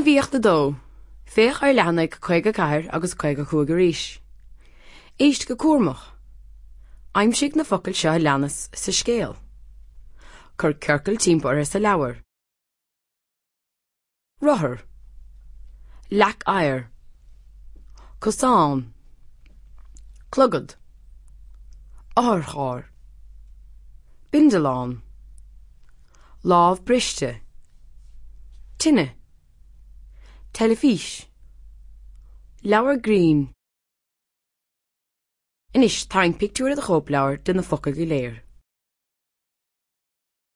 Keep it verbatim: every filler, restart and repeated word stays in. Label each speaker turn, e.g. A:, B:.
A: Gníomhaíocht a dó. Féach ar leathanaigh caoga ceathair agus caoga cúig arís. Éist go cúramach. Aimsigh na focail seo a leanas sa scéal. Cuir ciorcal timpeall orthu sa leabhar. Rothar. Leac oighir. Cosán. Clogad. Otharcharr. Bindealán. Lámh briste. Tine. Teilifís. Leabhar grinn. Anois tarraing pictiúr i do chóipleabhar de na focail go léir.